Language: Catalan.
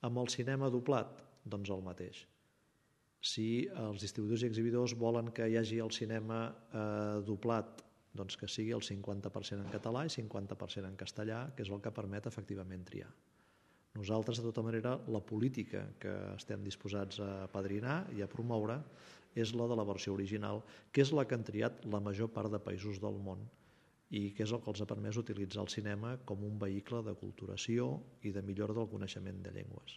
Amb el cinema doblat, doncs el mateix. Si els distribuïdors i exhibidors volen que hi hagi el cinema doblat, doncs que sigui el 50% en català i 50% en castellà, que és el que permet efectivament triar. Nosaltres, de tota manera, la política que estem disposats a apadrinar i a promoure és la de la versió original, que és la que han triat la major part de països del món i que és el que els ha permès utilitzar el cinema com un vehicle de culturació i de millora del coneixement de llengües.